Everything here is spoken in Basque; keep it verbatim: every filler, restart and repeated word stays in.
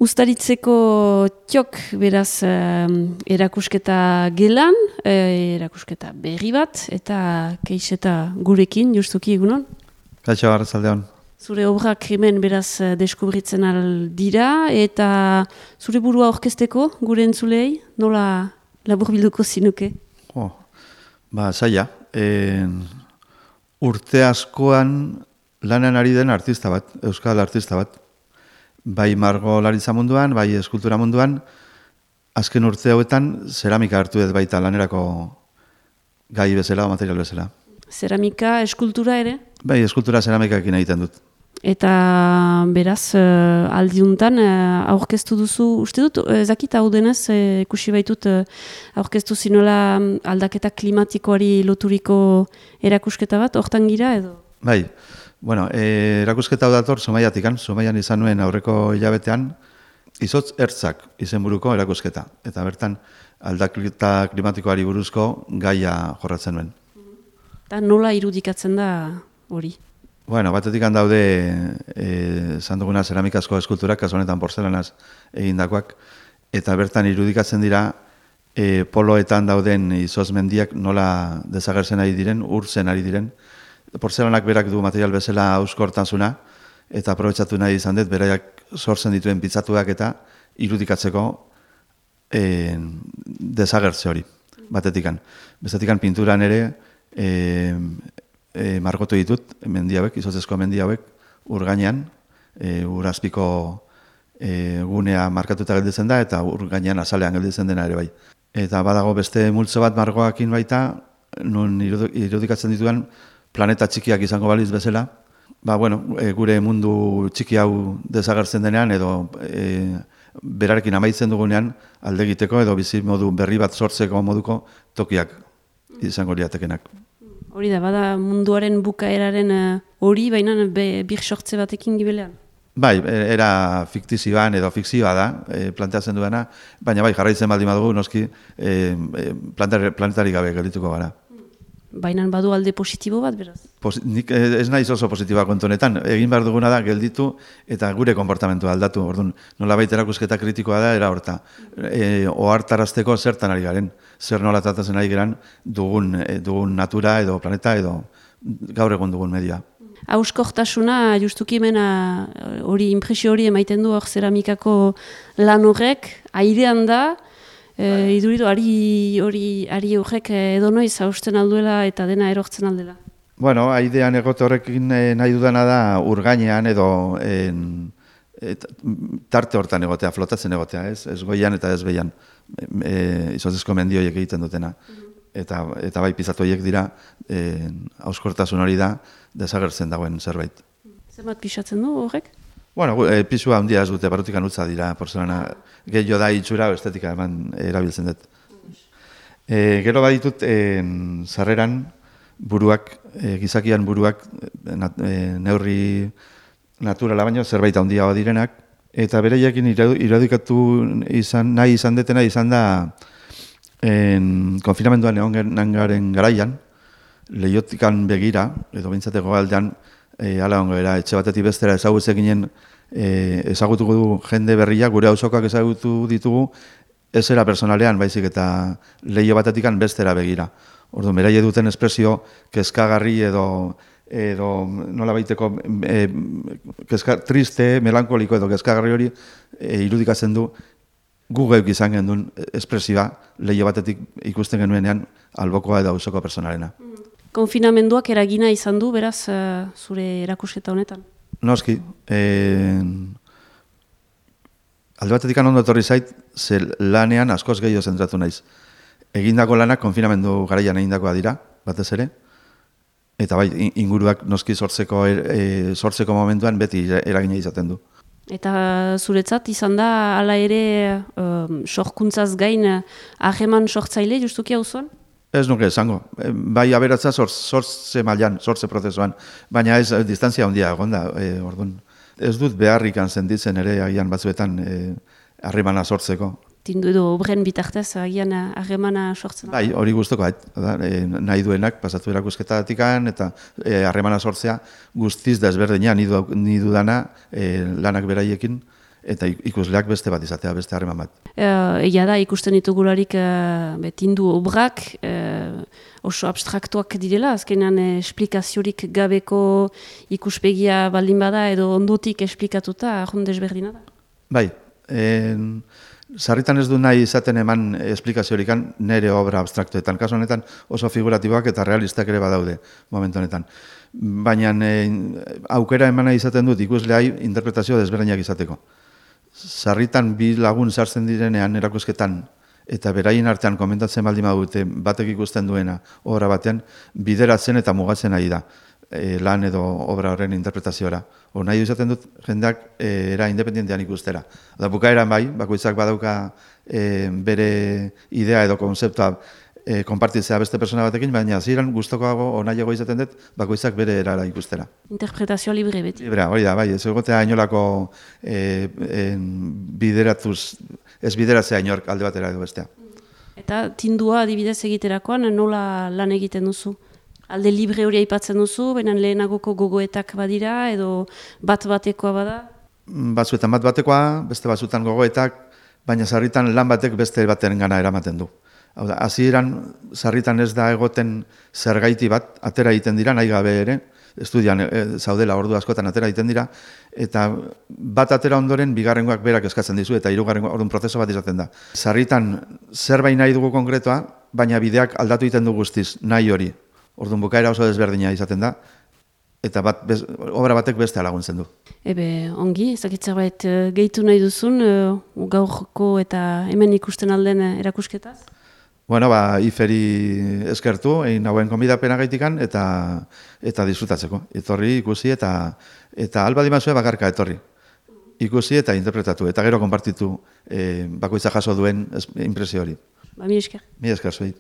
Uztaritzeko txok, beraz, eh, erakusketa gelan, eh, erakusketa berri bat, eta keixeta gurekin, justuki egunon? Kaixo, arratsaldeon. Zure obra krimen beraz deskubritzen aldira, eta zure burua orkesteko, gure entzulei, nola laburbilduko zinuke? Oh, ba, zaila. E, urte askoan lanean ari den artista bat, euskal artista bat. Bai margolaritza munduan, bai eskultura munduan, azken urte hauetan zeramika hartu ez baita lanerako gai bezala o material bezala. Zeramika, eskultura ere? Bai, eskultura zeramikaekin egiten dut. Eta beraz, uh, aldiuntan uh, aurkeztu duzu, uste dut, ezakit hau denez, uh, ikusi baitut uh, aurkeztu zinola aldaketa klimatikoari loturiko erakusketa bat, hortan gira edo? Bai, bueno, e, erakusketa hau dator Zumaiatikan, Zumaian izan nuen aurreko hilabetean, izotz ertzak izenburuko erakusketa. Eta bertan aldaketa klimatikoari buruzko gaia jorratzen nuen. Eta nola irudikatzen da hori? Bueno, batetik handaude esan duguna zeramikazko eskulturak, kasu honetan porzelanaz egindakoak, eta bertan irudikatzen dira e, poloetan dauden izotz mendiak nola desagertzen ari diren, urtzen ari diren. Porzelanak berak du material bezala auskortasuna, eta aprobetxatu nahi izan dut, beraiak sortzen dituen pitzatuak eta irudikatzeko e, desagertze hori, batetikan. Bestetikan pinturan ere e, e, margotu ditut, mendi hauek, izotzezko mendi hauek, ur gainean, e, ur azpiko e, gunea markatuta gelditzen da, eta ur gainean azalean gelditzen dena ere bai. Eta badago beste multzo bat margoakin baita, nun irudikatzen dituan, planeta txikiak izango baliz bezala, ba, bueno, e, gure mundu txiki hau desagertzen denean, edo e, berarekin amaitzen dugunean alde egiteko edo bizi modu berri bat sortzeko moduko tokiak izango liatekenak. Hori da, bada munduaren bukaeraren hori, uh, baina be, bir sortze batekin gibelean? Bai, era fiktizioan edo fikzioa da, e, planteatzen duena, baina bai, jarraitzen baldin badugu, noski e, planetari gabe geldituko gara. Baina badu alde positibo bat, beraz? Pos, nik ez naiz oso positiboa kontu honetan. Egin behar duguna da gelditu eta gure konportamentua aldatu. Orduan, nolabait erakusketa kritikoa da, era horta. E, ohartarazteko zertan ari garen. Zer nola tratatzen ari garen dugun, e, dugun natura edo planeta edo gaur egun dugun media. Hauskortasuna, justuki mena hori, impresio hori emaiten du hor zeramikako lan horrek, airean da, E, iduridu, ari hori ari horrek edo noiz hausten alduela eta dena erortzen aldela? Bueno, aidean egote horrekin nahi dudana da urgainean edo en, et, tarte hortan egotea, flotatzen egotea, ez, ez goian eta ez behian, e, izotzezko mendioiek egiten dutena. Eta, eta bai pizatu horiek dira, hauskortasun hori da, desagertzen dagoen zerbait. Zer bat pixatzen du horrek? Bueno, e, pisua handia ez dute, barrutikan utza dira, porzelana gehiago da itxura, estetika eman erabiltzen dut. E, gero baditut, e, sarreran buruak, e, gizakian buruak, nat, e, neurri naturala baino, zerbait handia direnak, eta bereiakin irudikatu izan, nahi izan detena izan da en, konfinamenduan egon garen garaian, lehiotikan begira, edo bintzateko aldean, E, ala ongo era, etxe batetik bestera ezagutze ginen e, ezagutuko du jende berria, gure auzokoak ezagutu ditugu, ez era personalean, baizik eta lehio batetikan bestera begira. Orduan, beraie duten espresio kezkagarri edo, edo nola baiteko e, kezka, triste, melankoliko edo kezkagarri hori e, irudikatzen du gu geuk izan gendun espresioa lehio batetik ikusten genuenean albokoa edo auzoko personalena. Konfinamenduak eragina izan du, beraz, uh, zure erakusketa honetan? Noski. E, alde batetik ondo etorri zait, ze lanean askoz gehiago zentratu naiz. Egindako lanak konfinamendu garaian egindakoa dira, batez ere. Eta bai, inguruak noski sortzeko, e, sortzeko momentuan beti eragina izaten du. Eta zuretzat izan da, hala ere, um, sorkuntzaz gain, aheman sortzaile justuki hau zuen? Ez nuke esango. Bai aberatza sortze mailan, sortze prozesuan, baina ez distantzia handia egon da. E, orduan, ez dut beharrikan sentitzen ere agian batzuetan harremana e, sortzeko. Tindu edo obren bitartez agian harremana sortzen? Bai, hori guztoko, da, e, nahi duenak pasatu erakusketatikan eta harremana e, sortzea guztiz da ezberdina, ni dudana e, lanak beraiekin eta ikusleak beste bat izatea, beste harreman bat. Egia da, ikusten ditugularik betindu obrak, oso abstraktuak direla, azkenean esplikaziorik gabeko ikuspegia baldin bada edo ondotik esplikatuta, ahon desberdina da. Bai, en, sarritan ez du nahi izaten eman esplikaziorik nire obra abstraktuetan. Kasu honetan oso figuratiboak eta realistak ere badaude momentu honetan. Baina e, aukera emana izaten dut ikusleai interpretazio desberdinak izateko. Sarritan bi lagun sartzen direnean erakusketan eta beraien artean komentatzen baldin badute batek ikusten duena obra batean bideratzen eta mugatzen nahi da e, lan edo obra horren interpretaziora. Hor nahi izaten dut jendeak e, era independentean ikustera. Da bukaeran bai, bakoitzak badauka e, bere idea edo konzeptua E, konpartitzea beste persona batekin, baina ziren gustokoago onaiago izaten dut, bakoitzak bere erara ikustera. Interpretazio libre beti. Libre, hori da, bai, ez egotea inolako e, e, bideratuz, ez bideratzea inork alde batera edo bestea. Eta tindua adibidez egiterakoan nola lan egiten duzu? Alde libre hori aipatzen duzu, baina lehenagoko gogoetak badira, edo bat-batekoa bada? Batzuetan bat-batekoa, beste batzuetan gogoetak, baina sarritan lan batek beste baten gana eramaten du. Hau da, hasieran sarritan ez da egoten zergaiti bat, atera egiten dira, nahi gabe ere, estudian e, zaudela ordu askotan atera egiten dira, eta bat atera ondoren bigarrengoak berak eskatzen dizu, eta hirugarrengoa orduan prozeso bat izaten da. Sarritan zerbait nahi dugu konkretoa, baina bideak aldatu egiten du guztiz, nahi hori. Orduan bukaera oso desberdina izaten da, eta bat, bez, obra batek beste laguntzen du. Ebe, ongi, ezakit zerbait gehitu nahi duzun, gaurko eta hemen ikusten alden erakusketaz? Bueno, ba, iferi eskertu, egin nagoen konbidapena gaitikan, eta eta disfrutatzeko. Etorri, ikusi, eta eta alba dimazue bakarka etorri. Ikusi eta interpretatu, eta gero konpartitu eh, bakoitza jaso duen impresio hori. Ba, mi esker. Mi esker, zuei.